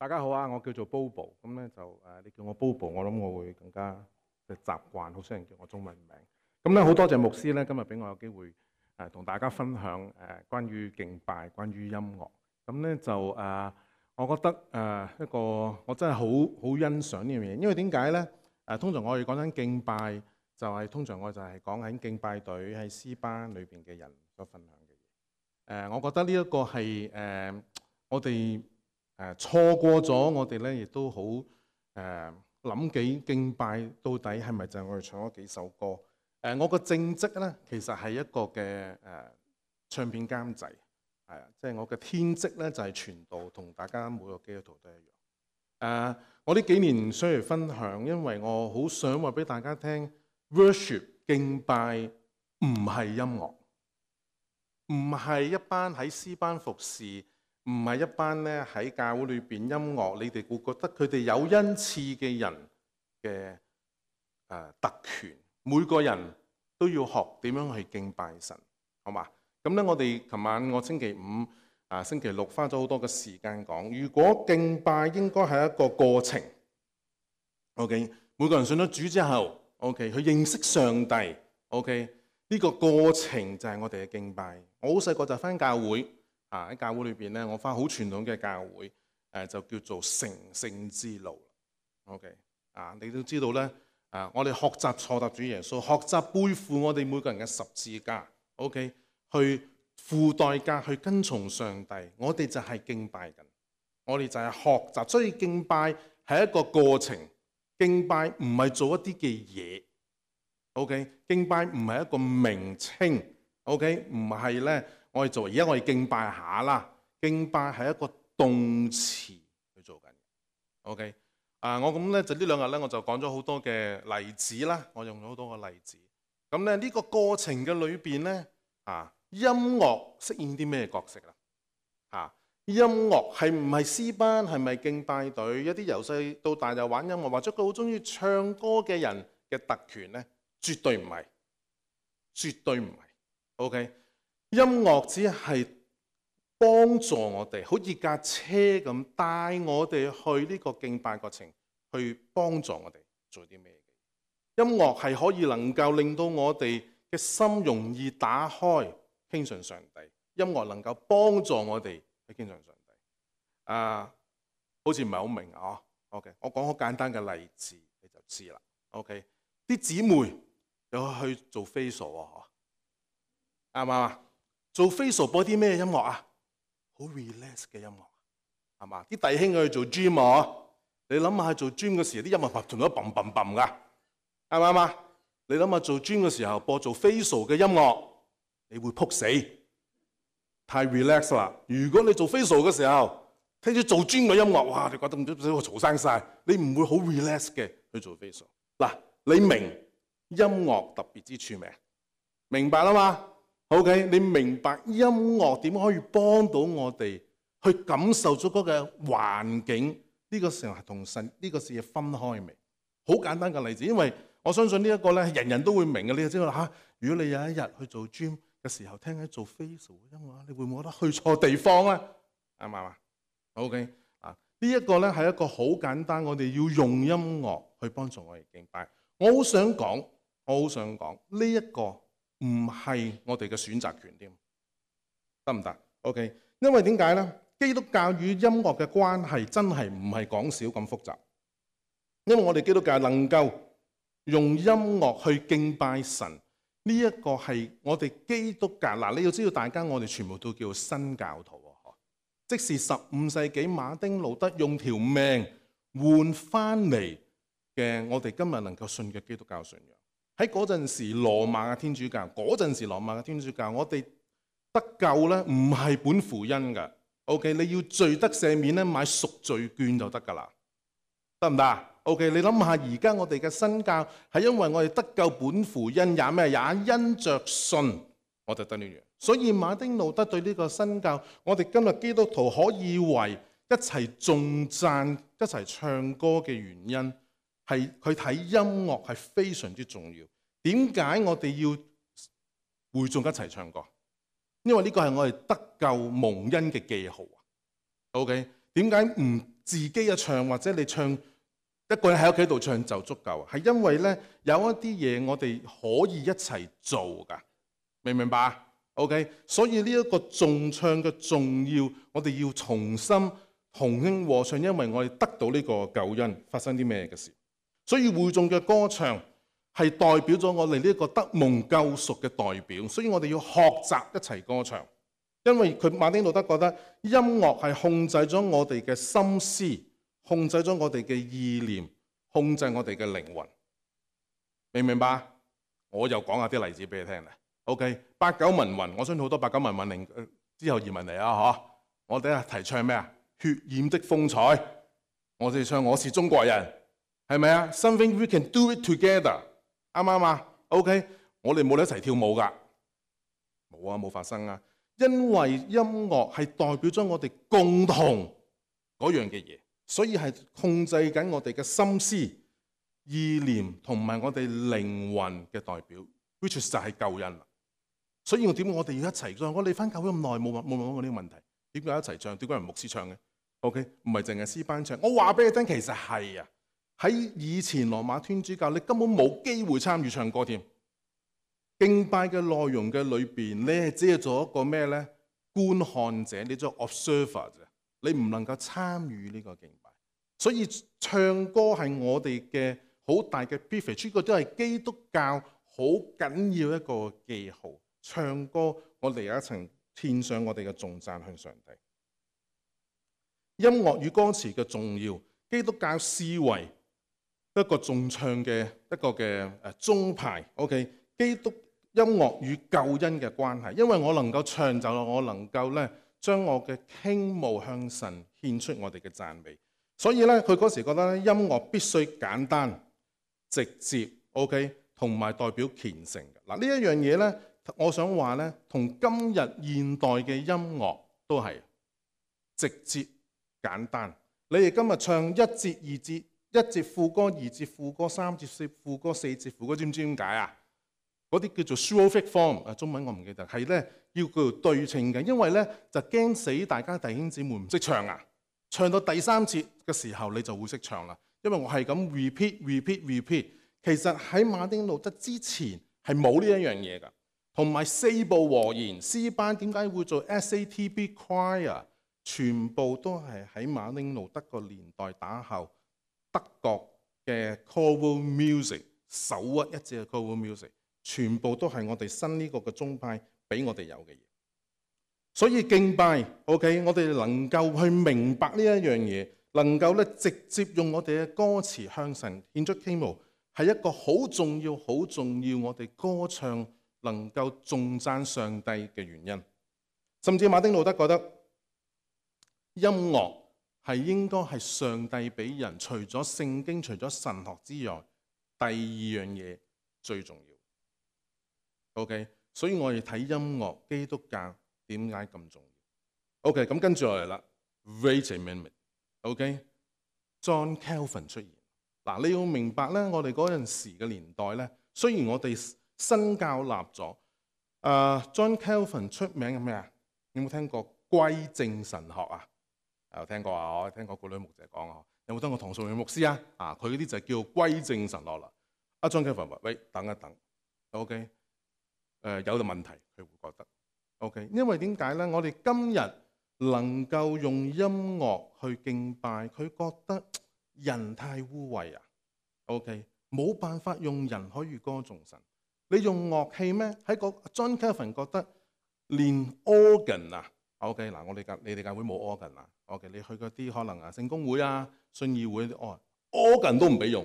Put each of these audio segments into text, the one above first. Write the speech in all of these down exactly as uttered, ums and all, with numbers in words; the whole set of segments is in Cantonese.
大家好啊，我叫做 Bobo， 咁咧就誒，你叫我 Bobo， 我諗我會更加嘅習慣，好少人叫我中文名。咁咧好多謝牧師咧，今日俾我有機會誒同大家分享誒關於敬拜、關於音樂。咁咧就誒，我覺得誒一個我真係好好欣賞呢樣嘢，因為點解咧？誒通常我哋講緊敬拜，就係通常我就係講緊敬拜隊喺詩班裏邊嘅人所分享嘅嘢。誒，我覺得呢一個係誒我哋。誒錯過咗，我哋咧亦都好誒諗幾敬拜到底係咪就係我哋唱咗幾首歌？誒、呃，我個正職咧其實係一個嘅誒、呃、唱片監製，係啊，即係我嘅天職咧就係傳道，同大家每個基督徒都一樣。誒、呃，我呢幾年想嚟分享，因為我好想話俾大家聽 ，worship 敬拜唔係音樂，唔係一班喺詩班服侍。唔係一班咧喺教會裏邊音樂，你哋會覺得佢哋有恩賜嘅人嘅誒、呃、特權。每個人都要學點樣去敬拜神，好嘛？咁咧，我哋琴晚我星期五啊、星期六花咗好多嘅時間講，如果敬拜應該係一個過程。OK， 每個人信咗主之後 ，OK， 去認識上帝 ，OK， 呢個過程就係我哋嘅敬拜。我好細個就返教會。啊！喺教會裏邊咧，我返好傳統嘅教會，誒、呃、就叫做成聖之路。OK， 啊，你都知道咧，啊，我哋學習錯答主耶穌，學習背負我哋每個人嘅十字架。OK， 去付代價去跟從上帝，我哋就係敬拜緊，我哋就係學習。所以敬拜係一個過程，敬拜唔係做一啲嘅嘢。OK， 敬拜唔係一個名稱。OK， 唔係咧。我哋做而家我哋敬拜下啦，敬拜係一個動詞去做緊。OK， 啊，我咁咧就呢兩日咧我就講咗好多嘅例子啦，我用咗好多個例子。咁咧呢個過程嘅裏邊咧，啊，音樂飾演啲咩角色啦？啊，音樂係唔係詩班？係咪敬拜隊？一啲由細到大就玩音樂，或者佢好中意唱歌嘅人嘅特權咧？絕對唔係，絕對唔係。OK。音樂只係幫助我哋，好似架車咁帶我哋去呢個敬拜過程，去幫助我哋做啲咩嘅。音樂係可以能夠令到我哋嘅心容易打開，傾信上帝。音樂能夠幫助我哋去傾信上帝。啊，好似唔係好明啊。OK， 我講好簡單嘅例子你就知啦。OK， 啲姊妹有去做 facial 啊，啱唔啱啊？做 facial 播啲咩音樂啊？好 relax 嘅音樂，係嘛？啲弟兄去做 gym 啊，你諗下做 gym 嘅時候，啲音樂同咗嘣嘣嘣噶，啱唔啱啊？你諗下做 gym 嘅時候播做 facial 嘅音樂，你會撲死，太 relax 啦。如果你做 facial 嘅時候聽住做 gym 嘅音樂，哇！你覺得唔知我嘈生晒，你唔會好 relax 嘅去做 facial。嗱，你明音樂特別之處未？明白啦嘛？OK， 你明白音樂點可以幫到我哋去感受咗嗰個環境？呢、這個時候係同神呢個事嘢分開未？好簡單嘅例子，因為我相信呢一個咧，人人都會明嘅。你就知道嚇、啊，如果你有一日去做 gym 嘅時候，聽緊做 facial 嘅音樂，你會唔會覺得去錯地方咧？啱唔啱啊 ？OK 啊，呢一個咧係一個好簡單，我哋要用音樂去幫助我哋敬拜。我好想講，我好想講呢一個。唔係我哋嘅選擇權添，得唔得 ？OK， 因為點解咧？基督教與音樂嘅關係真係唔係講少咁複雜。因為我哋基督教能夠用音樂去敬拜神，呢一個係我哋基督教嗱。你要知道，大家我哋全部都叫新教徒啊！即是十五世紀馬丁路德用條命換翻嚟嘅，我哋今日能夠信嘅基督教信仰。喺嗰陣時，羅馬嘅天主教，嗰陣時羅馬嘅天主教，我哋得救咧，唔係本乎恩噶。OK， 你要罪得赦免咧，買贖罪券就得噶啦，得唔得 ？OK， 你諗下，而家我哋嘅新教係因為我哋得救本乎恩，也咩？也因着信，我就得呢樣。所以馬丁路德對呢個新教，我哋今日基督徒可以為一齊頌讚、一齊唱歌嘅原因。係佢睇音樂係非常之重要。點解我哋要會眾一齊唱歌？因為呢個係我哋得救蒙恩嘅記號啊。OK， 點解唔自己嘅唱，或者你唱一個人喺屋企度唱就足夠，係因為咧有一啲嘢我哋可以一齊做噶，明唔明白 ？OK， 所以呢一個頌唱嘅重要，我哋要重新同聲和唱，因為我哋得到呢個救恩。發生啲咩嘅事？所以會眾嘅歌唱係代表咗我哋呢個得蒙救贖嘅代表，所以我哋要學習一齊歌唱。因為佢馬丁路德覺得音樂係控制咗我哋嘅心思，控制咗我哋嘅意念，控制我哋嘅靈魂，明唔明白？我又講下啲例子俾你聽咧。OK， 八九民運，我相信好多八九民運嚟之後移民嚟啊，嗬！我哋啊提倡咩啊？血染的風采，我哋唱我是中國人，係咪啊 ？Something we can do it together， 啱唔啱啊 ？OK， 我哋冇得一齊跳舞噶，冇啊，冇發生啊！因為音樂係代表咗我哋共同嗰樣嘅嘢，所以係控制緊我哋嘅心思、意念同埋我哋靈魂嘅代表 ，which 就係救恩啦。所以我點解我哋要一齊唱？我哋翻教會咁耐冇冇問過呢個問題，點解一齊唱？點解唔牧師唱嘅 ？OK， 唔係淨係詩班唱。我話俾你聽，其實係啊，喺以前羅馬天主教，你根本冇機會參與唱歌添。敬拜嘅內容嘅裏邊，你係只係做一個咩咧？觀看者，你做 observer 啫，你唔能夠參與呢個敬拜。所以唱歌係我哋嘅好大嘅 privilege， 呢個都係基督教好緊要一個記號。唱歌，我哋有一層獻上我哋嘅頌讚向上帝。音樂與歌詞嘅重要，基督教視為一個頌唱嘅一個嘅誒宗派。OK， 基督音樂與救恩嘅關係，因為我能夠唱就我能夠咧將我嘅傾慕向神獻出我哋嘅讚美。所以咧，佢嗰時覺得咧，音樂必須簡單、直接 ，OK， 同埋代表虔誠嘅。嗱，呢一樣嘢咧，我想話咧，同今日現代嘅音樂都係直接簡單。你哋今日唱一節、二節、一節副歌、二節副歌、三節四副歌、四節副歌，知唔知點解啊？嗰啲叫做 strophic form， 啊中文我唔記得，係咧要叫做對稱嘅，因為咧就驚死大家弟兄姊妹唔識唱啊！唱到第三節嘅時候你就會識唱啦，因為我係咁 repeat repeat repeat。其實喺馬丁路德之前係冇呢一樣嘢㗎，同埋四部和弦詩班點解會做 S A T B choir， 全部都係喺馬丁路德個年代打後德國嘅 choral music， 首屈一指嘅 choral music。全部都係我哋新呢個嘅宗派俾我哋有嘅嘢，所以敬拜 OK， 我哋能夠去明白呢一樣嘢，能夠咧直接用我哋嘅歌詞向神獻出傾慕，係一個好重要、好重要。我哋歌唱能夠頌讚上帝嘅原因，甚至馬丁路德覺得音樂係應該係上帝俾人除咗聖經、除咗神學之外，第二樣嘢最重要。OK， 所以我哋睇音樂，基督教點解咁重要 ？OK， 咁跟住落嚟啦 ，Wait a minute，OK，John Calvin 出現。嗱，你要明白咧，我哋嗰陣時嘅年代咧，雖然我哋新教立咗，誒 John Calvin 出名嘅咩啊？有冇聽過歸正神學啊？有聽過啊？我聽過古女牧者講啊。有冇聽過唐崇榮牧師啊？啊，佢嗰啲就叫歸正神學啦。阿 John Calvin 話：喂，等一等 ，OK。誒、呃、有個問題，佢會覺得 OK， 因為點解咧？我哋今日能夠用音樂去敬拜，佢覺得人太污穢啊。OK， 冇辦法用人可以歌頌神。你用樂器咩？喺個 John Calvin 覺得連 organ 啊 ，OK 嗱，我哋教你哋教會冇 organ 啊。OK， 你去嗰啲可能啊聖公會啊、信義會啲哦 organ 都唔俾用，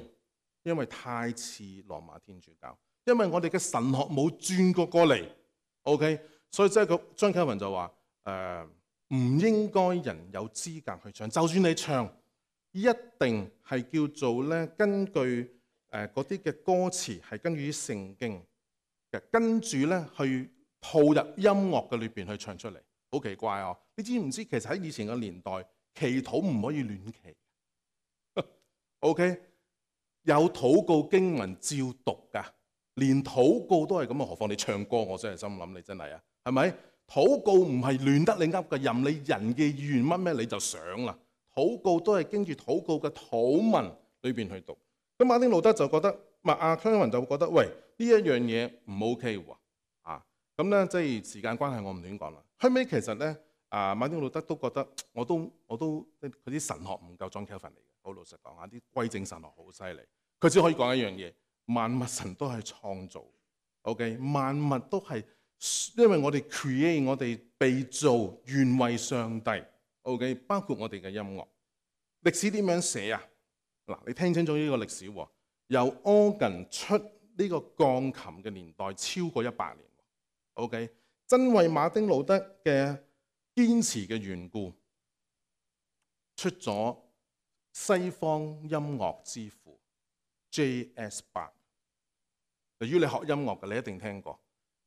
因為太似羅馬天主教。因為我哋嘅神學冇轉過過嚟 ，OK， 所以即係個張啟文就話：誒唔應該人有資格去唱，就算你唱，一定係叫做咧根據誒嗰啲嘅歌詞係根據啲聖經嘅，跟住咧去套入音樂嘅裏邊去唱出嚟，好奇怪哦！你知唔知其實喺以前嘅年代，祈禱唔可以亂祈，OK， 有禱告經文照讀㗎。連禱告都係咁啊，何況你唱歌？我真係心諗你真係啊，係咪？禱告唔係亂得你噏嘅，任你人嘅意願乜咩你就想啦。禱告都係經住禱告嘅禱文裏邊去讀。咁馬丁路德就覺得，麥阿康文就會覺得，喂，呢一樣嘢唔 OK 喎，啊，咁咧即係時間關係，我唔亂講啦。後尾其實咧，啊馬丁路德都覺得，我都我都佢啲神學唔夠 John Calvin 嚟嘅，好老實講下，啲歸正神學好犀利。佢只可以講一樣嘢，萬物神都係創造 ，OK， 萬物都係因為我哋 create， 我哋被造原為上帝 ，OK， 包括我哋嘅音樂。歷史點樣寫啊？嗱，你聽清楚呢個歷史喎，由 organ 出呢個鋼琴嘅年代超過一百年 ，OK， 真為馬丁路德嘅堅持嘅緣故，出咗西方音樂之父 J S Bach。如果你學音樂嘅，你一定聽過。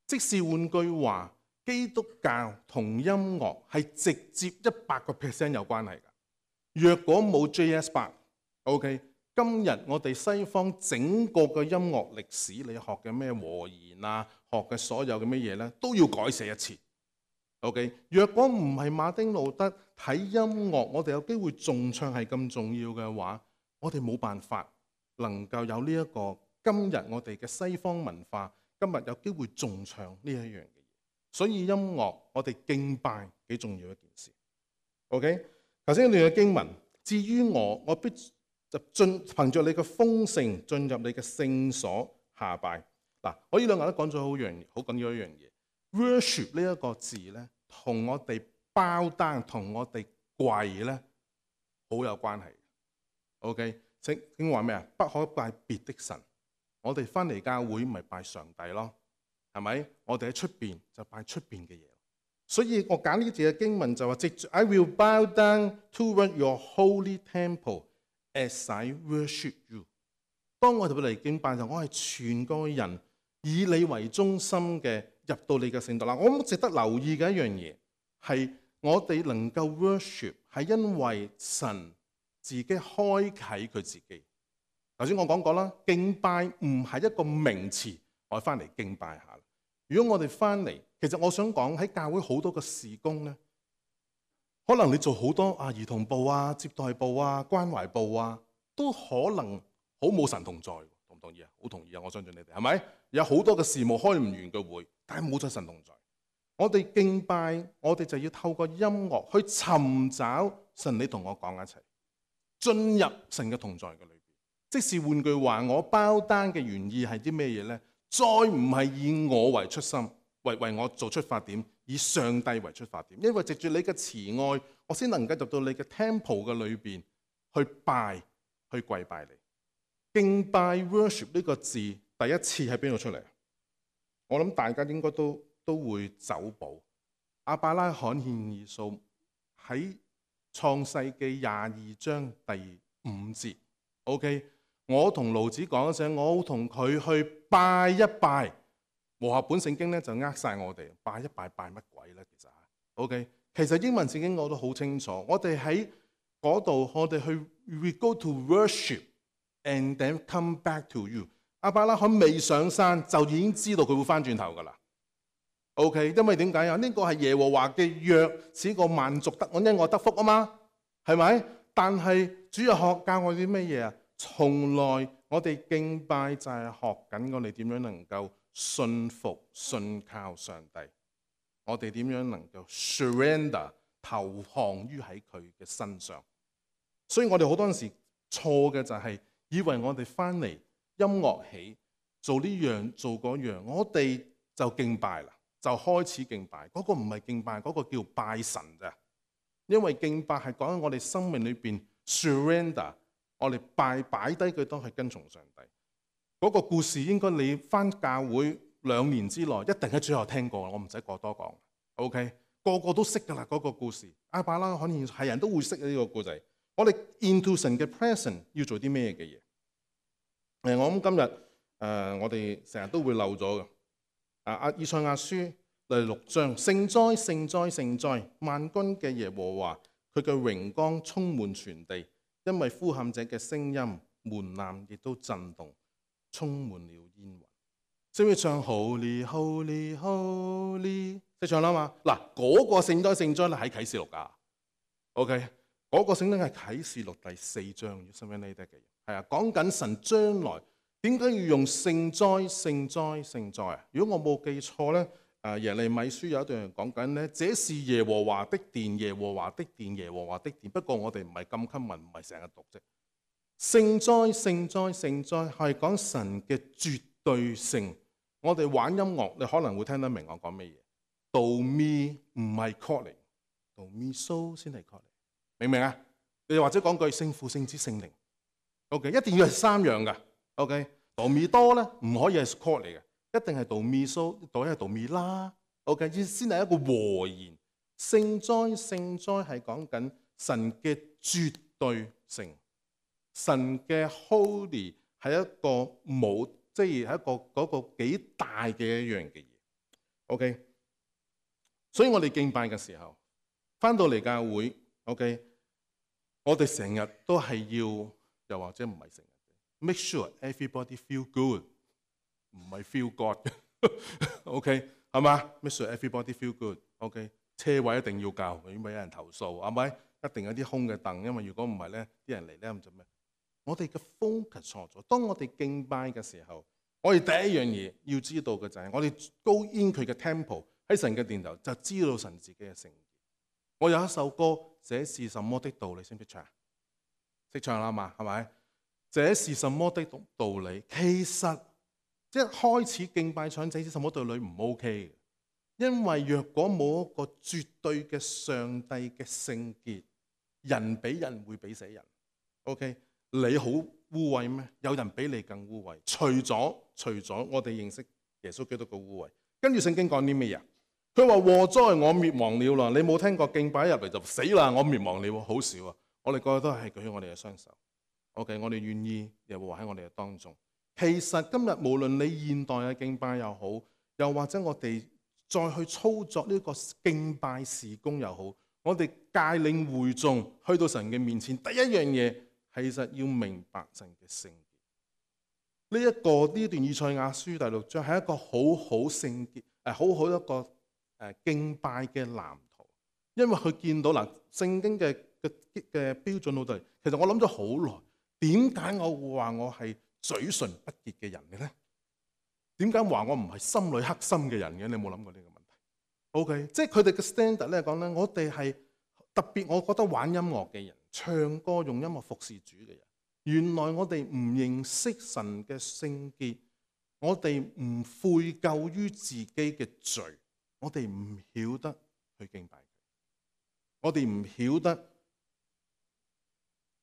即是換句話，基督教同音樂係直接一百個 percent 有關係㗎。若果冇 J S Bach，OK， 今日我哋西方整個嘅音樂歷史，你學嘅咩和弦啊，學嘅所有嘅咩嘢咧，都要改寫一次。OK， 若果唔係馬丁路德睇音樂，我哋有機會重唱係咁重要嘅話，我哋冇辦法能夠有呢一個今日我哋嘅西方文化，今日有機會重唱呢一樣嘅嘢。所以音樂我哋敬拜幾重要一件事。OK， 頭先呢段嘅經文，至於我，我必就進憑着你嘅豐盛進入你嘅聖所下拜。嗱，我呢兩個都講咗好樣好緊要一樣嘢。worship 呢一個字咧，同我哋包單同我哋跪咧好有關係。OK， 聖經話咩啊？不可拜別的神。我哋翻嚟教會咪拜上帝咯，係咪？我哋喺出邊就拜出邊嘅嘢。所以我揀呢節嘅經文就話：藉住 I will bow down toward your holy temple as I worship you。當我哋嚟敬拜就，我係全個人以你為中心嘅入到你嘅聖堂。嗱，我諗值得留意嘅一樣嘢係我哋能夠 worship 係因為神自己開啟佢自己。頭先我講過啦，敬拜唔係一個名詞，我翻嚟敬拜下。如果我哋翻嚟，其實我想講喺教會好多個事工咧，可能你做好多啊兒童部啊、接待部啊、關懷部啊，都可能好冇神同在，同唔同意啊？好同意啊！我相信你哋係咪？有好多嘅事務開唔完嘅會，但係冇咗神同在。我哋敬拜，我哋就要透過音樂去尋找神，你同我講一齊，進入神嘅同在嘅裏邊。即是換句話，我包單嘅原意係啲咩嘢咧？再唔係以我為出心，為為我做出發點，以上帝為出發點。因為藉住你嘅慈愛，我先能夠入到你嘅 temple 嘅裏邊去拜，去跪拜你。敬拜 worship 呢個字第一次喺邊度出嚟？我諗大家應該都都會走步。亞伯拉罕獻以掃喺創世記廿二章第五節。OK。我同盧子講一聲，我同佢去拜一拜。和合本聖經咧就呃晒我哋，拜一拜拜乜鬼咧？其實 ，OK， 其實英文聖經我都好清楚。我哋喺嗰度，我哋去 we go to worship and then come back to you。亞伯拉罕未上山就已經知道佢會翻轉頭噶啦。OK， 因為點解啊？呢個係耶和華嘅約，使個萬族得因我得福啊嘛，係咪？但係主日學教我啲咩嘢啊？從來我哋敬拜就係學緊我哋點樣能夠信服信靠上帝，我哋點樣能夠 surrender 投降於喺佢嘅身上。所以我哋好多陣時錯嘅就係以為我哋翻嚟音樂起做呢樣做嗰樣，我哋就敬拜啦，就開始敬拜。嗰個唔係敬拜，嗰個叫拜神咋。因為敬拜係講緊我哋生命裏邊 surrender。我哋拜擺低佢當係跟從上帝嗰、那個故事，應該你返教會兩年之內一定喺最後聽過，我唔使過多講。OK， 個個都識㗎啦嗰個故事。亞伯拉罕係人都會識呢個故仔。我哋 into 神嘅 presence 要做啲咩嘅嘢？誒，我諗今日誒、呃，我哋成日都會漏咗嘅。啊，阿以賽亞書第六章，聖哉聖哉聖哉，萬軍嘅耶和華，佢嘅榮光充滿全地。因為呼喊者嘅聲音，門檻亦都震動，充滿了煙雲。識唔識唱 Holy Holy Holy？ 識唱啦嘛？嗱，嗰個聖哉聖哉咧喺啟示錄㗎。OK，嗰、那個聖經係啟示錄第四章，要身邊呢啲嘅嘢係啊，講緊神將來點解要用聖哉、聖哉、聖哉啊？如果我冇記錯咧，誒耶利米書有一段講緊咧，這是耶和華的殿，耶和華的殿，耶和華的殿。不過我哋唔係咁襟文，唔係成日讀啫。聖哉、聖哉、聖哉係講神嘅絕對性。我哋玩音樂，你可能會聽得明我講咩嘢。Do mi 唔係 chord 嚟 ，Do mi so 先係 chord 嚟，明唔明啊？你或者講句聖父、聖子、聖靈 ，OK， 一定要係三樣噶 ，OK。Do mi do 咧唔可以係 chord 嚟嘅，一定係 Do mi so，Do 係 Do mi la，OK， 先係一個和弦。聖哉、聖哉係講緊神嘅絕對性。神嘅 holy 係一個冇，即係係一個嗰個幾大嘅一樣嘅嘢。OK， 所以我哋敬拜嘅時候，翻到嚟教會 ，OK， 我哋成日都係要，又或者唔係成日 ，make sure everybody feel good， 唔係 feel God。OK， 係嘛 ？make sure everybody feel good。OK， 車位一定要夠，如果唔係有人投訴，係咪？一定有啲空嘅凳，因為如果唔係咧，啲人嚟咧咁就咩？我哋嘅 focus 錯咗。當我哋敬拜嘅時候，我哋第一樣嘢要知道嘅就係，我哋 go in 佢嘅 temple 喺神嘅殿頭，就知道神自己嘅聖潔。我有一首歌，這是什麼的道理？你識唔識唱？識唱啦嘛，係咪？這是什麼的道理？其實即係開始敬拜唱這是什麼道理唔 OK 嘅，因為若果冇一個絕對嘅上帝嘅聖潔，人比人會比死人。OK。你好污穢咩？有人比你更污穢。除咗除咗我哋認識耶穌基督嘅污穢，跟住聖經講啲咩嘢？佢話禍哉我滅亡了啦！你冇聽過敬拜入嚟就死啦，我滅亡了，好少啊！我哋個個都係舉起我哋嘅雙手。OK， 我哋願意耶和華喺我哋嘅當中。其實今日無論你現代嘅敬拜又好，又或者我哋再去操作呢個敬拜事工又好，我哋帶領會眾去到神嘅面前，第一樣嘢。其實要明白神嘅聖潔，呢一個呢段以賽亞書第六章係一個好好聖潔誒，好好一個誒敬拜嘅藍圖。因為佢見到嗱聖經嘅嘅嘅標準好多。其實我諗咗好耐，點解我會話我係嘴唇不潔嘅人嘅咧？點解話我唔係心裏黑心嘅人嘅？你有冇諗過呢個問題 ？OK， 即係佢哋嘅 standard 咧講咧，我哋係特別，我覺得玩音樂嘅人。唱歌用音樂服侍主嘅人，原來我哋唔認識神嘅聖潔，我哋唔悔疚於自己嘅罪，我哋唔曉得去敬拜佢，我哋唔曉得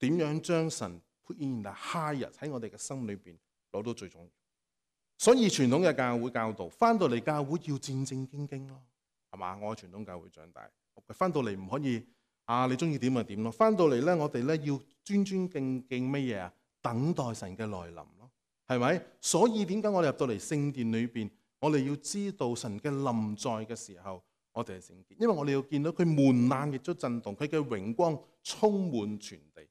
點樣將神 put in the highest 喺我哋嘅心裏邊攞到最重要。所以傳統嘅教會教導，翻到嚟教會要戰戰兢兢咯，係嘛？我喺傳統教會長大，翻到嚟唔可以。啊！你中意點就點咯。翻到嚟咧，我哋咧要尊尊敬敬乜嘢啊？等待神嘅來臨咯，係咪？所以點解我哋入到嚟聖殿裏邊，我哋要知道神嘅臨在嘅時候，我哋係聖潔，因為我哋要見到佢門檻亦都震動，佢嘅榮光充滿全地。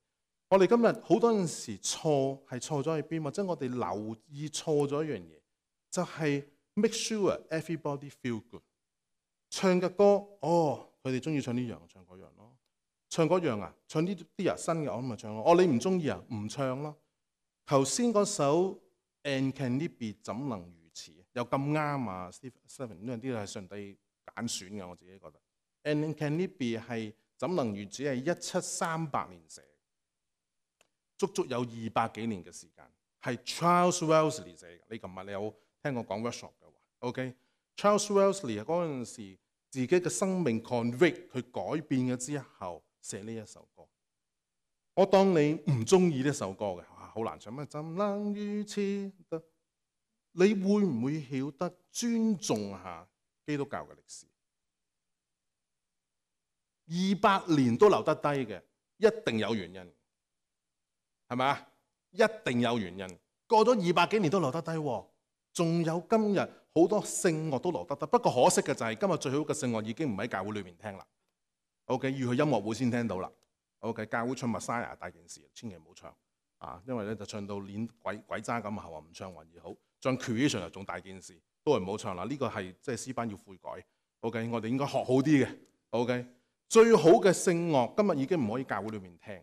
我哋今日好多陣時錯係錯咗喺邊，或者我哋留意錯咗一樣嘢，就係 make sure everybody feel good。唱嘅歌，哦，佢哋中意唱呢樣，唱嗰樣咯。唱嗰樣啊，唱呢啲啊新嘅我咪唱咯。哦，你唔中意啊，唔唱咯。頭先嗰首 And Can It Be 怎能如此？又咁啱啊 Stephen 呢樣啲係上帝揀選嘅，我自己覺得。And Can It Be 係怎能如此係一七三八年寫，足足有二百幾年嘅時間，係 Charles Wesley 寫嘅。你琴日你有聽我講 workshop 嘅話 ，OK？Charles Wesley 嗰陣時自己嘅生命 convict 佢改變咗之後。寫呢一首歌，我當你唔中意呢首歌嘅，好難唱咩？怎能如此？你會唔會曉得尊重下基督教嘅歷史？二百年都留得低嘅，一定有原因，係咪啊？一定有原因。過咗二百幾年都留得低，仲有今日好多聖樂都留得低。不過可惜嘅就係今日最好嘅聖樂已經唔喺教會裏面聽啦。OK， 要去音樂會先聽到啦。OK， 教會唱 Messiah 大件事，千祈唔好唱啊！因為咧就唱到連鬼鬼渣咁，後話唔唱還而好。唱 Creation 又仲大件事，都係唔好唱啦。呢、這個係即係詩班要悔改。OK， 我哋應該學好啲嘅。OK，最好嘅聖樂今日已經唔可以教會裏面聽，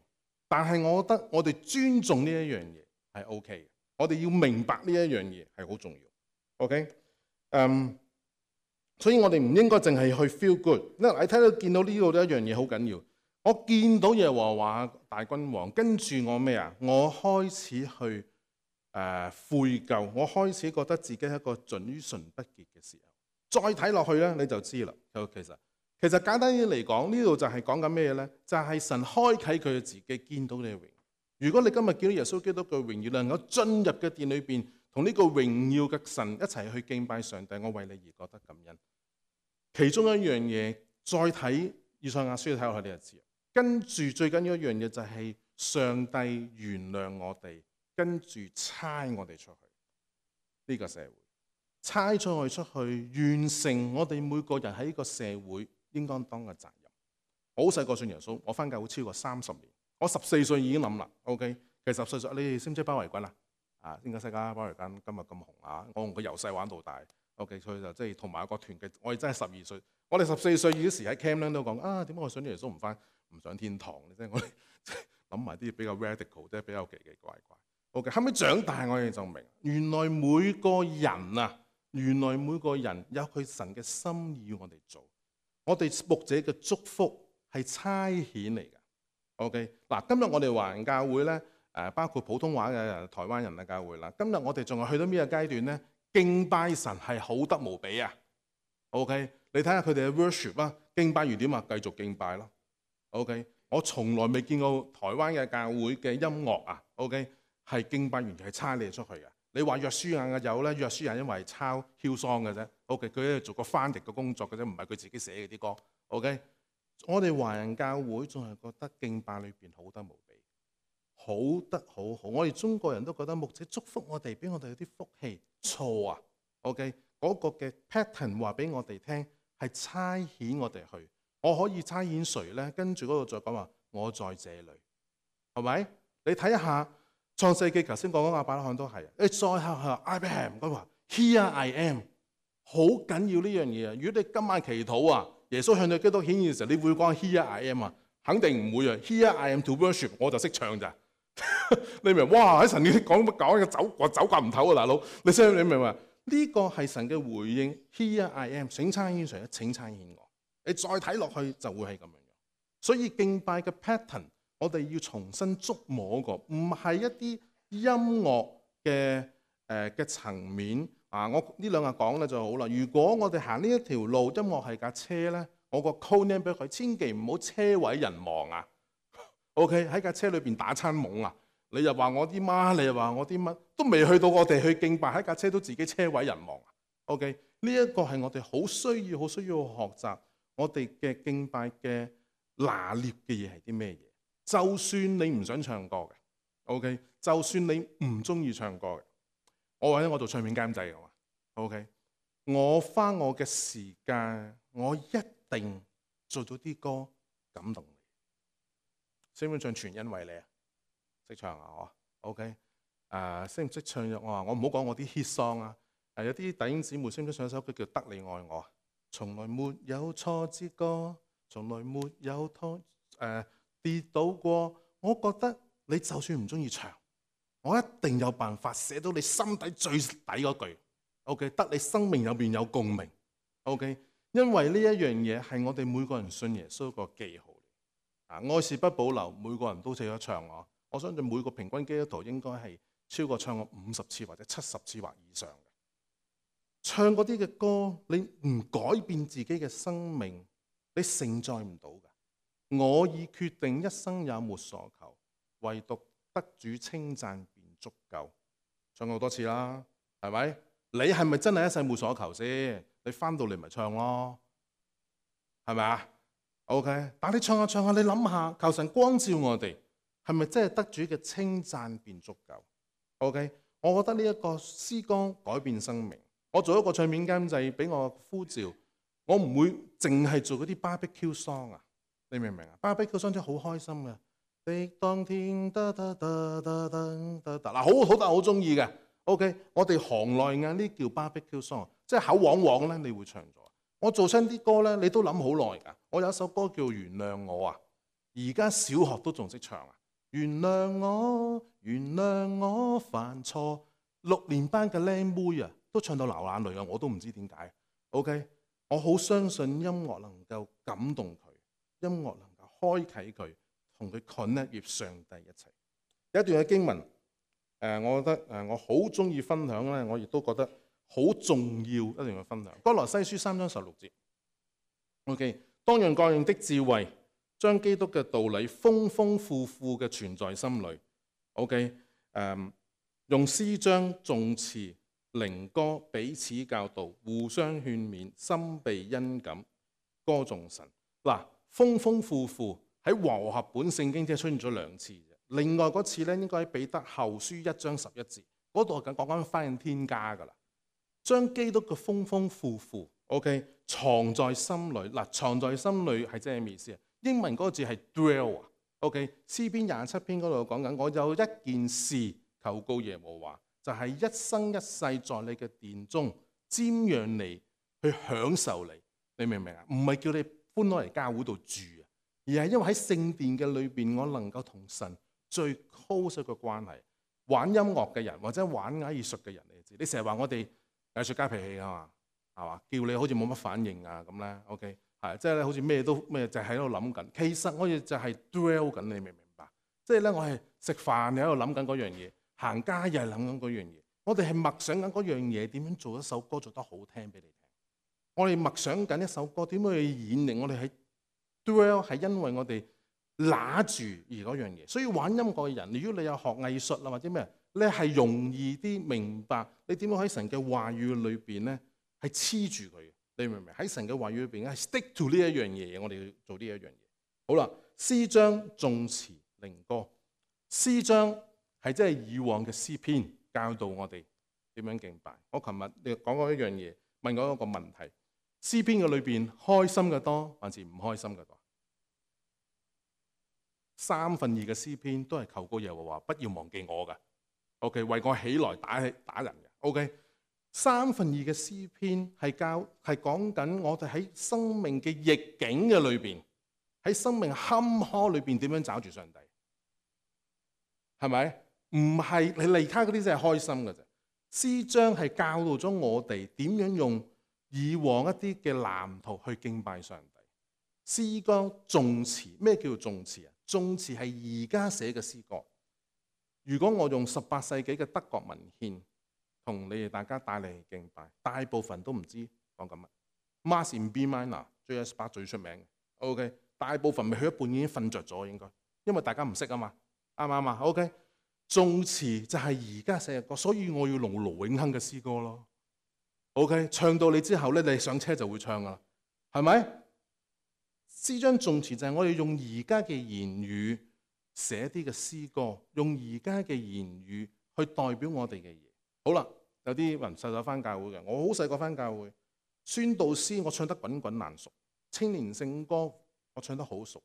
但係我覺得我哋尊重呢一樣嘢係 OK 嘅，我哋要明白呢一樣嘢係好重要。OK， 嗯、um,，所以我哋唔應該淨係去 feel good。你睇到見到呢度呢一樣嘢好緊要，我見到耶和華大君王，跟住我咩啊？我開始去誒、呃、悔疚，我開始覺得自己係一個嘴唇不潔嘅時候。再睇落去咧，你就知啦。就其實其實簡單啲嚟講，呢度就係講緊咩咧？就係、是、神開啟佢嘅自己，見到你嘅榮耀。如果你今日見到耶穌基督嘅榮耀，能夠進入嘅殿裏邊，同呢個榮耀嘅神一齊去敬拜上帝，我為你而覺得感恩。其中一樣嘢，再睇以賽亞書睇落去，你就知。跟住最緊要一樣嘢就係上帝原諒我哋，跟住差我哋出去呢、這個社會。差咗我哋出去，完成我哋每個人喺呢個社會應該當嘅責任。我好細個信耶穌，我返教會超過三十年。我十四歲已經諗啦。OK， 其實十四歲，你哋識唔識包圍軍啊？啊，應該識啊！包圍軍今日咁紅啊！我同佢由細玩到大。OK， 所以就即係同埋一個團嘅。我哋真係十二歲，我哋十四歲嗰時喺 camp 咧都講啊，點解我信耶穌唔返唔上天堂？即係我哋諗埋啲比較 radical，即係比較奇奇怪怪。OK， 後尾長大我哋就明，原來每個人啊〜原來每個人有佢神嘅心意要我哋做，我哋牧者嘅祝福係差遣嚟嘅。OK， 嗱，今日我哋華人教會咧，誒包括普通話嘅台灣人嘅教會啦。今日我哋仲係去到咩階段咧？敬拜神係好得無比啊。OK， 你睇下佢哋嘅 worship 啊，敬拜完點啊？繼續敬拜咯。OK， 我從來未見過台灣嘅教會嘅音樂啊。OK， 係敬拜完係差你出去嘅。你話約書亞嘅有咧，約書亞因為抄 Hillsong 嘅啫。OK， 佢喺度做個翻譯嘅工作嘅啫，唔係佢自己寫嘅啲歌。OK， 我哋華人教會仲係覺得敬拜裏邊好得無比，好得好好。我哋中國人都覺得牧者祝福我哋，俾我哋有啲福氣。錯啊 ！OK， 嗰個嘅 pattern 話俾我哋聽係差遣我哋去。我可以差遣誰咧？跟住嗰度再講話，我在這裡，係咪？你睇一下。創世記頭先講講亞伯拉罕都係，你再下下 Abraham 咁話 Here I am， 好緊要呢樣嘢啊！如果你今晚祈禱啊，耶穌向你基督顯現嘅時候，你會講 Here I am 啊？肯定唔會啊 ！Here I am to worship， 我就識唱咋？你明？哇！喺神你講乜講嘅走，我走夾唔唞啊，大佬！你識你明嘛？呢、這個係神嘅回應 Here I am， 請差遣誰？請差遣我。你再睇落去就會係咁樣樣。所以敬拜嘅 pattern。我哋要重新觸摸過，唔係一啲音樂嘅誒嘅層面啊！我呢兩日講咧就好啦。如果我哋行呢一條路，音樂係架車咧，我個 code name 俾佢，千祈唔好車毀人亡啊 ！OK， 喺架車裏邊打餐懵啊！你又話我啲媽，你又話我啲乜，都未去到我哋去敬拜，喺架車都自己車毀人亡啊 ！OK， 呢一個係我哋好需要、好需要學習，我哋嘅敬拜嘅拿捏嘅嘢係啲咩嘢？就算你唔想唱歌嘅 ，OK， 就算你唔中意唱歌嘅，我或者我做唱片監製嘅嘛 ，OK， 我花我嘅時間，我一定做到啲歌感動你。識唔識唱全因為你啊？識唱啊我 ，OK， 誒識唔識唱我話我唔好講我啲 hit song 啊，誒有啲弟兄姊妹識唔識唱首歌叫《得你愛我》啊？從來沒有挫折過，從來沒有拖誒。呃跌倒過，我覺得你就算唔中意唱，我一定有辦法寫到你心底最底嗰句。OK， 得你生命入邊有共鳴。OK， 因為呢一樣嘢係我哋每個人信耶穌個記號。啊，愛是不保留，每個人都識得唱我。我相信每個平均基督徒應該係超過唱過五十次或者七十次或以上嘅。唱嗰啲嘅歌，你唔改變自己嘅生命，你承載唔到㗎。我已決定一生也沒所求，唯獨得主稱讚便足夠。唱過好多次啦，係咪？你係咪真係一世沒所求先？你翻到嚟咪唱咯，係咪啊 ？OK， 但你唱下唱下，你諗下，求神光照我哋，係咪真係得主嘅稱讚便足夠 ？OK， 我覺得呢一個詩歌改變生命。我做一個唱片監製，俾我呼召，我唔會淨係做嗰啲 barbecue song 啊。你明唔明啊？barbecue song 真係好開心嘅，的當天得得得得得得得嗱，好好得好中意嘅。OK， 我哋行內嘅呢叫 barbecue song，即係口黃黃咧，你會唱咗。我做親啲歌咧，你都諗好耐㗎。我有一首歌叫《原諒我》啊，而家小學都仲識唱啊。原諒我，原諒我犯錯。六年班嘅靚妹啊，都唱到流眼淚啊，我都唔知點解。OK， 我好相信音樂能夠感動佢，音樂能夠開啟佢，同佢 connect 與上帝一齊。有一段嘅經文，誒，我覺得誒，我好中意分享咧，我亦都覺得好重要，一定要分享。歌羅西書三章十六節 ，OK， 當用各樣的智慧，將基督嘅道理豐豐富富嘅存在心裏 ，OK， 誒、um,，用詩章、頌詞、靈歌彼此教導，互相勸勉，心備恩感，歌頌神。嗱，豐豐富富喺和合本聖經即係出現咗兩次。另外嗰次咧，應該喺彼得後書一章十一節嗰度講講緊返天家噶啦，將基督嘅豐豐富富 ，OK， 藏在心裏。嗱，藏在心裏係即係咩意思啊？英文嗰個字係 dwell 啊 ，OK， 詩篇廿七篇嗰度講緊，我有一件事求告耶和華，就係、是、一生一世在你嘅殿中瞻仰你，去享受你。你明唔明啊？唔係叫你搬攞嚟教會度住啊，而係因為喺聖殿嘅裏邊，我能夠同神最 close 嘅關係。玩音樂嘅人或者玩藝術嘅人，你知，你成日話我哋藝術家脾氣啊嘛，係嘛？叫你好似冇乜反應啊咁咧 ，OK， 係即係咧，好似咩都咩就喺度諗緊。其實我哋就係 dwell 緊，你明唔明白？即係咧，我係食飯你喺度諗緊嗰樣嘢，行街又係諗緊嗰樣嘢。我哋係默想緊嗰樣嘢，點樣做一首歌做得好聽俾你聽。我哋默想緊一首歌點樣去演繹。我哋喺 dwell 係因為我哋拿住而嗰樣嘢，所以玩音樂嘅人，如果你有學藝術啦或者咩，你係容易啲明白你點樣喺神嘅話語裏邊咧係黐住佢。你明唔明？喺神嘅話語裏邊係 stick to 呢一樣嘢，我哋要做呢一樣嘢。好啦，詩章、頌詞、靈歌。詩章係即係以往嘅詩篇教導我哋點樣敬拜。我琴日你講過一樣嘢，問過一個問題：詩篇嘅裏邊開心嘅多還是唔開心嘅多？三分二嘅詩篇都係求告耶和華不要忘記我嘅 ，OK， 為我起來打打人嘅 ，OK。三分二嘅詩篇係教係講緊我哋喺生命嘅逆境嘅裏邊，喺生命坎坷裏邊點樣找住上帝，係咪？唔係你離開嗰啲先係開心嘅啫。詩章係教導咗我哋點樣用以往一啲嘅藍圖去敬拜上帝。詩歌、頌詞，咩叫頌詞啊？頌詞係而家寫嘅詩歌。如果我用十八世紀嘅德國文獻同你哋大家帶嚟敬拜，大部分都唔知講緊乜。Mass in B minor，J S 八最出名嘅。OK， 大部分未去一半已經瞓着咗，應該，因為大家唔識啊嘛，啱唔啱啊 ？OK， 頌詞就係而家寫嘅歌，所以我要用盧永亨嘅詩歌咯。OK， 唱到你之後咧，你上車就會唱噶啦，係咪？詩章頌詞就係我哋用而家嘅言語寫啲嘅詩歌，用而家嘅言語去代表我哋嘅嘢。好啦，有啲人細細翻教會嘅，我好細個翻教會，宣道詩我唱得滾滾爛熟，青年聖歌我唱得好熟。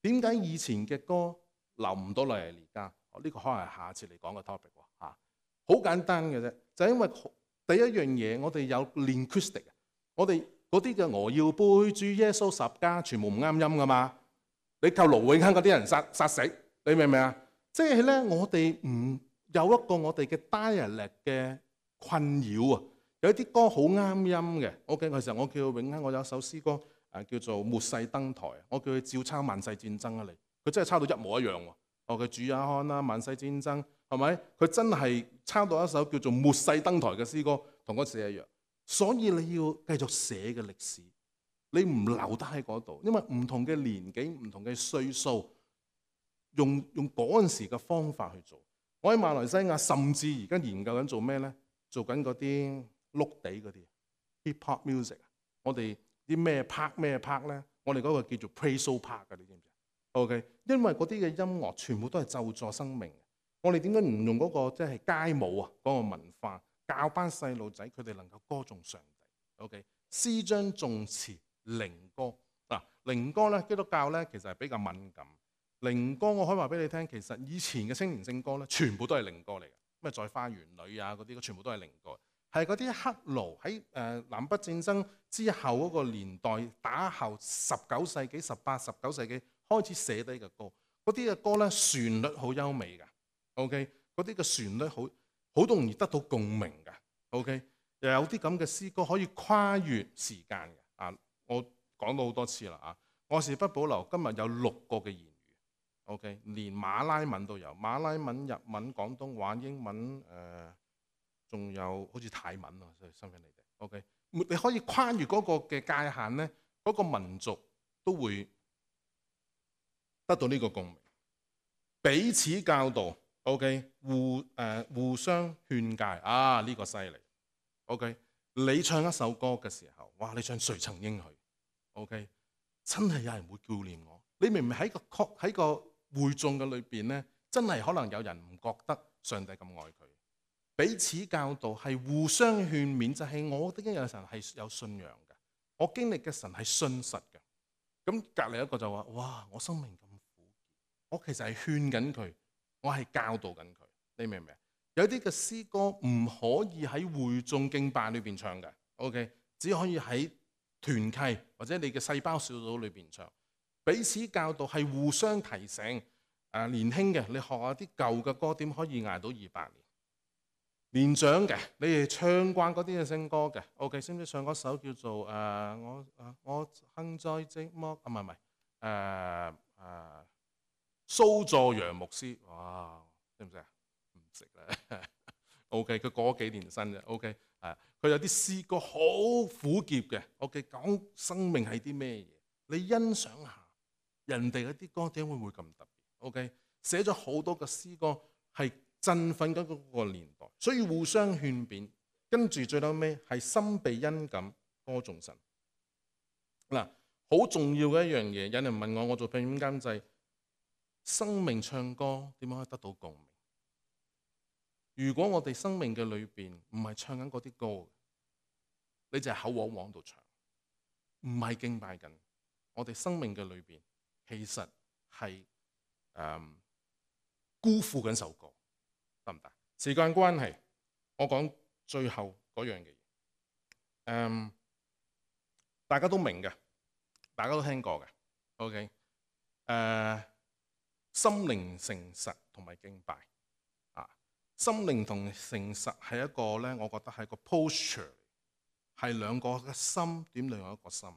點解以前嘅歌留唔到落嚟而家？呢、這個可能係下次嚟講嘅 topic 喎嚇。好簡單嘅啫，就係因為第一樣嘢我哋有 linguistic， 我哋。嗰啲嘅我要背住耶穌十架，全部唔啱音噶嘛？你靠盧永亨嗰啲人殺殺死，你明唔明啊？即係咧，我哋唔有一個我哋嘅 dialect 嘅困擾啊！有啲歌好啱音嘅。OK， 其實我叫永亨，我有一首詩歌誒叫做《末世登台》，我叫佢照抄萬世戰爭啊！你佢真係抄到一模一樣喎。哦，佢主也看啦，萬世戰爭係咪？佢真係抄到一首叫做《末世登台》嘅詩歌，同嗰時一樣。所以你要繼續寫嘅歷史，你唔留得喺嗰度，因為唔同嘅年紀、唔同嘅歲數，用用嗰陣時嘅方法去做。我喺馬來西亞，甚至而家研究緊做咩咧？做緊嗰啲碌地嗰啲 hip hop music。我哋啲咩 part 咩 part 咧？我哋嗰個叫做 praise part 嘅，你知唔知 ？OK， 因為嗰啲嘅音樂全部都係咒詛生命。我哋點解唔用嗰個即係街舞啊？嗰個文化？教班細路仔，佢哋能夠歌頌上帝。OK， 詩章、頌詞、靈歌嗱，靈歌咧，基督教咧其實係比較敏感。靈歌我可以話俾你聽，其實以前嘅青年聖歌咧，全部都係靈歌嚟嘅。咩在花園裏啊嗰啲，全部都係靈歌。係嗰啲黑奴喺誒南北戰爭之後嗰個年代打後十九世紀、十八、十九世紀開始寫低嘅歌。嗰啲嘅歌咧旋律好優美㗎 ，OK， 嗰啲嘅旋律好好容易得到共鳴㗎 ，OK， 又有啲咁嘅詩歌可以跨越時間嘅。啊，我講到好多次啦啊，愛是不保留今日有六個嘅言語 ，OK， 連馬拉文都有，馬拉文、日文、廣東話、英文誒，仲、呃、有好似泰文啊，所以新翻你哋 ，OK， 你可以跨越嗰個嘅界限咧，嗰、嗰個民族都會得到呢個共鳴，彼此教導 ，OK， 互誒、呃、互相勸誡啊，呢、呢個犀利 ，OK。你唱一首歌嘅時候，哇！你唱誰曾應許 ，OK， 真係有人會顧念我。你明明喺個曲喺個會眾嘅裏邊咧，真係可能有人唔覺得上帝咁愛佢。彼此教導係互相勸勉，就係、是、我的有神係有信仰嘅，我經歷嘅神係信實嘅。咁隔離一個就話：哇！我生命咁苦，我其實係勸緊佢，我係教導緊佢。你明唔明？有啲嘅詩歌唔可以喺會眾敬拜裏邊唱嘅 ，OK， 只可以喺團契或者你嘅細胞小組裏邊唱。彼此教導係互相提醒。誒、啊、年輕嘅，你學下啲舊嘅歌點可以捱到二百年？年長嘅，你哋唱慣嗰啲嘅聖歌嘅 ，OK， 識唔識唱嗰首叫做誒、呃、我誒我幸在寂寞啊？唔係唔係誒誒蘇佐揚牧師，哇，識唔識啊？唔識咧。OK， 佢過咗幾年生啫。OK， 誒，佢有啲詩歌好苦澀嘅。OK， 講生命係啲咩嘢？你欣賞下人哋嗰啲歌點會會咁特別 ？OK， 寫咗好多嘅詩歌係振奮緊嗰個年代，所以互相勸勉。跟住最後尾係心被恩感歌頌神。嗱，好重要嘅一樣嘢，有人問我，我做配音監製，生命唱歌點樣可以得到共鳴？如果我哋生命嘅裏邊唔係唱緊嗰啲歌，你就係口往往度唱，唔係敬拜緊。我哋生命嘅裏邊其實係誒、嗯、辜負緊首歌，得唔得？時間關係，我講最後嗰樣嘅嘢。誒，大家都明嘅，大家都聽過嘅。OK，誒、呃，心靈誠實同埋敬拜。心靈同誠實係一個咧，我覺得係個 posture， 係兩個嘅心點另外一個心。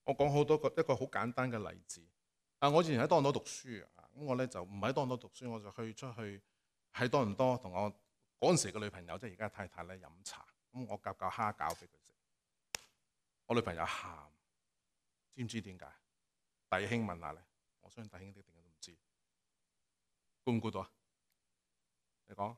我講好多個一個好簡單嘅例子。啊，我以前喺多倫多讀書啊，咁我咧就唔喺多倫多讀書，我就去出去喺多倫多同我嗰陣時嘅女朋友，即係而家太太咧飲茶。咁我夾嚿蝦餃俾佢食，我女朋友喊，知唔知點解？弟兄問下咧，我相信弟兄啲定都唔知，估唔估到啊？你講。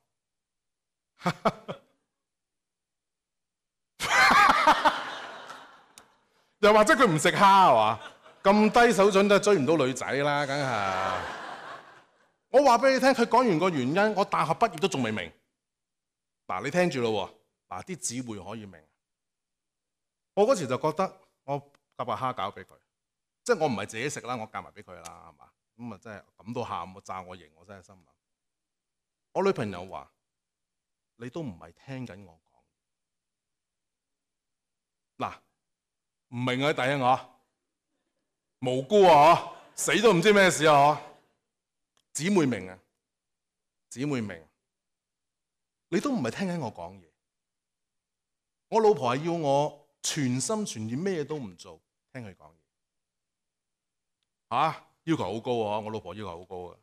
又或者佢唔食蝦係嘛？咁低手準都追唔到女仔啦，梗係。我話俾你聽，佢講完個原因，我大學畢業都仲未明。嗱，你聽住咯，嗱，啲姊妹可以明。我嗰時就覺得我夾把蝦餃俾佢，即係我唔係自己食啦，我夾埋俾佢啦，係嘛？咁啊，真係咁都喊，我炸我型，我真係心諗。我女朋友話。你都唔係聽緊我講，嗱，唔明啊，弟兄我無辜啊，死都唔知咩事啊，姊妹明啊，姊妹明，你都唔係聽緊我講嘢。我老婆係要我全心全意咩都唔做，聽佢講嘢，嚇要求好高啊！我老婆要求好高啊。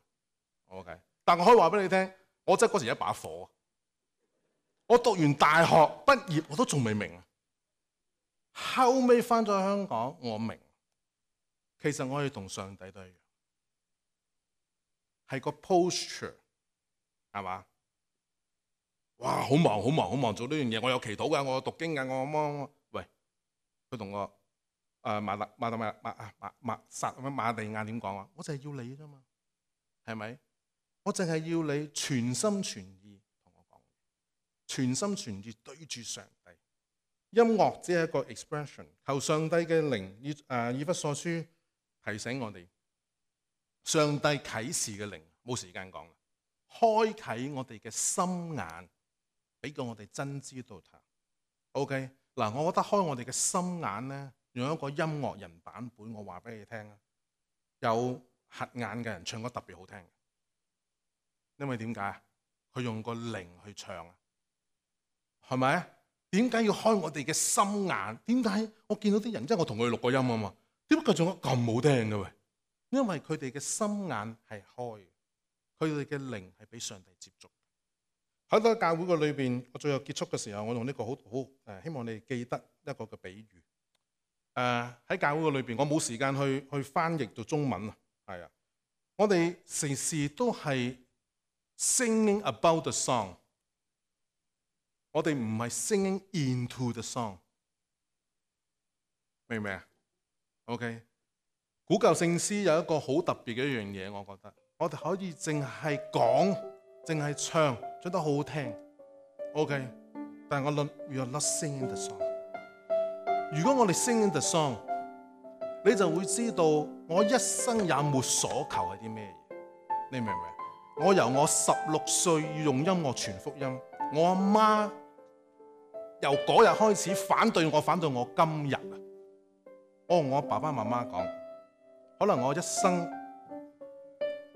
OK， 但我可以話俾你聽，我真係嗰時一把火。我讀完大學畢業，我都仲未明。後尾翻咗香港，我明。其實我係同上帝都一樣，係個 posture， 係嘛？哇！好忙，好忙，好忙，做呢樣嘢。我有祈禱㗎，我有讀經㗎，我乜喂？佢同我誒馬特馬特馬馬啊馬馬撒乜馬利亞點講啊？我就係要你啫嘛，係咪？我淨係要你全心全意。全心全意對住上帝，音樂只係一個 expression。求上帝嘅靈以誒以弗所書提醒我哋，上帝啟示嘅靈冇時間講啦，開啟我哋嘅心眼，俾個我哋真知道他。OK 嗱，我覺得開我哋嘅心眼咧，用一個音樂人版本，我話俾你聽啊，有瞎眼嘅人唱歌特別好聽，因為點解啊？佢用個靈去唱啊，係咪啊？點解要開我哋嘅心眼？點解我見到啲人，即係我同佢哋錄過音啊嘛？點解佢唱得咁好聽嘅喂？因為佢哋嘅心眼係開，佢哋嘅靈係俾上帝接觸。喺個教會嘅裏邊，我最後結束嘅時候，我用呢個好好誒，希望你哋記得一個嘅比喻。誒、呃、喺教會嘅裏邊，我冇時間去去翻譯到中文啊，係啊，我哋時時都係 singing about the song， 我哋唔係 singing into the song， 明唔明啊 ？OK， 古舊聖詩有一個好特別嘅一樣嘢，我覺得我哋可以淨係講，淨係唱。唱得好好聽 ，OK， 但係我諗 we are not singing the song。如果我哋 singing the song， 你就會知道我一生也沒所求係啲咩嘢。你明唔明？我由我十六歲要用音樂傳福音，我阿媽由嗰日開始反對我，反對我今日啊！我同我爸爸媽媽講，可能我一生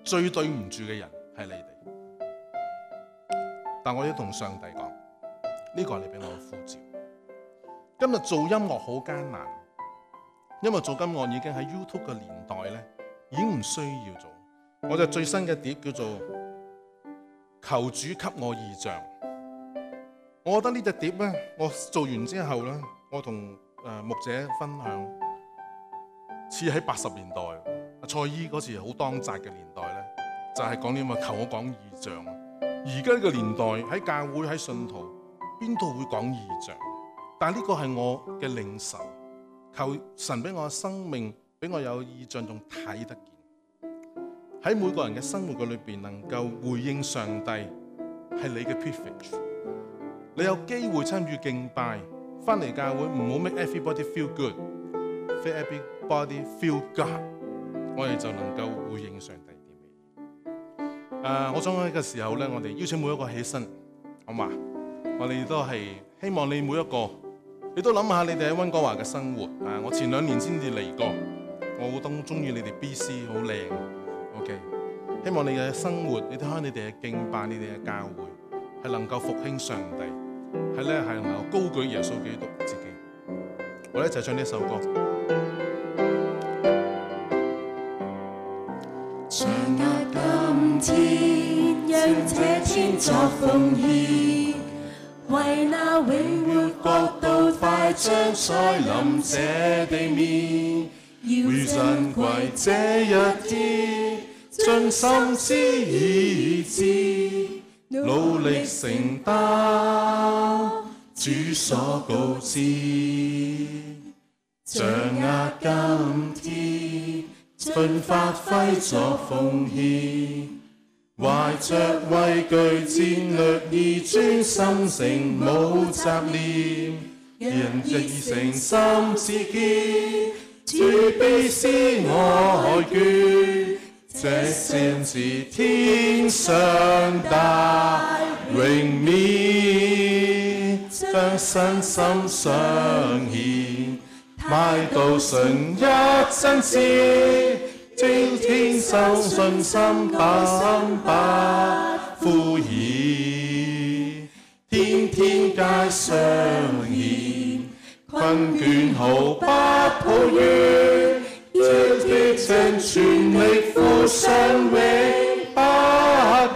最對唔住嘅人係你哋。但我要同上帝講，呢個係你俾我嘅呼召。今日做音樂好艱難，因為做音樂已經喺 YouTube 嘅年代咧，已經唔需要做。我就最新嘅碟叫做《求主給我異象》。我覺得呢隻碟咧，我做完之後咧，我同誒牧者分享，似喺八十年代，阿蔡依嗰時好當紮嘅年代咧，就係講啲咁嘅求我講異象。而家呢個年代喺教會喺信徒邊度會講異象？但係呢個係我嘅領受，求神俾我嘅生命，俾我有異象仲睇得見。喺每個人嘅生活嘅裏邊，能夠回應上帝係你嘅 privilege。你有機會參與敬拜，翻嚟教會唔好 make everybody feel good，make everybody feel God， 我哋就能夠回應上帝。誒，uh, 我想喺呢個時候咧，我哋邀請每一個起身，好嘛？我哋都係希望你每一個，你都諗下你哋喺溫哥華嘅生活。誒、uh, 我前兩年先至嚟過，我好當中意你哋 B C 好靚 ，OK。希望你嘅生活，你睇下你哋嘅敬拜，你哋嘅教會係能夠復興上帝，係咧係能夠高舉耶穌基督自己。我哋一齊唱呢一首歌。掌握今天，讓這天作奉獻，為那永活國度快將再臨這地面，要珍貴這一天，盡心知意志，努力承擔主所告知，掌握今天，盡發揮作奉獻，懷着畏懼戰略意，專心誠無雜念，人亦誠心自堅，主必施我眷，這先是天上大榮冕，將身心相獻，賣到純一真摯，精天生信心把心不敷衍，天天皆相現，困倦毫不抱怨，這激情全力付上永不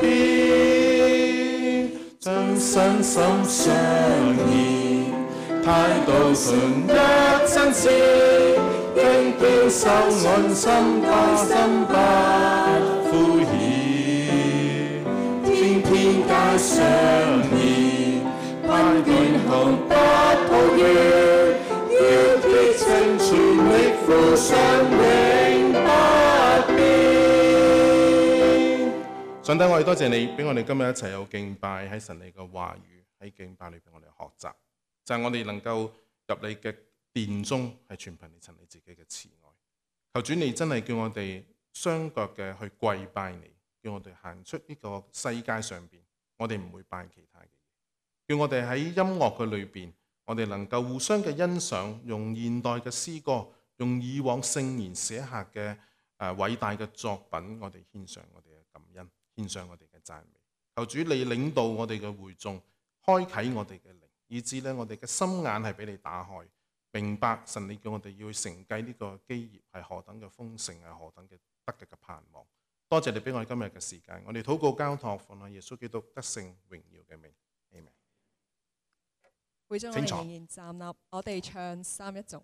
變，將身心相現，態度純一真摯，經經受愛心把心不敷衍，天天皆相現，困倦毫不抱怨，要激情全力付上永不變。上帝，我哋多謝你，俾我哋今日一齊有敬拜，喺神你嘅話語，喺敬拜裏邊我哋學習，就係、是、我哋能夠入你嘅殿中，係全憑你神你自己嘅慈愛。求主你真係叫我哋雙腳嘅去跪拜你，叫我哋行出呢個世界上邊，我哋唔會拜其他嘅嘢。叫我哋喺音樂嘅裏邊，我哋能夠互相嘅欣賞，用現代嘅詩歌，用以往聖賢寫下嘅誒、呃、偉大嘅作品，我哋獻上我哋嘅感恩，獻上我哋嘅讚美。求主你領導我哋嘅會眾，開啟我哋嘅靈，以致咧我哋嘅心眼係俾你打開，明白神你叫我哋要去承繼呢個基業係何等嘅豐盛，係何等嘅得嘅嘅盼望。多謝你俾我哋今日嘅時間，我哋禱告交託奉喺耶穌基督得勝榮耀嘅名。阿們。會眾我哋仍然站立，我哋唱三一頌。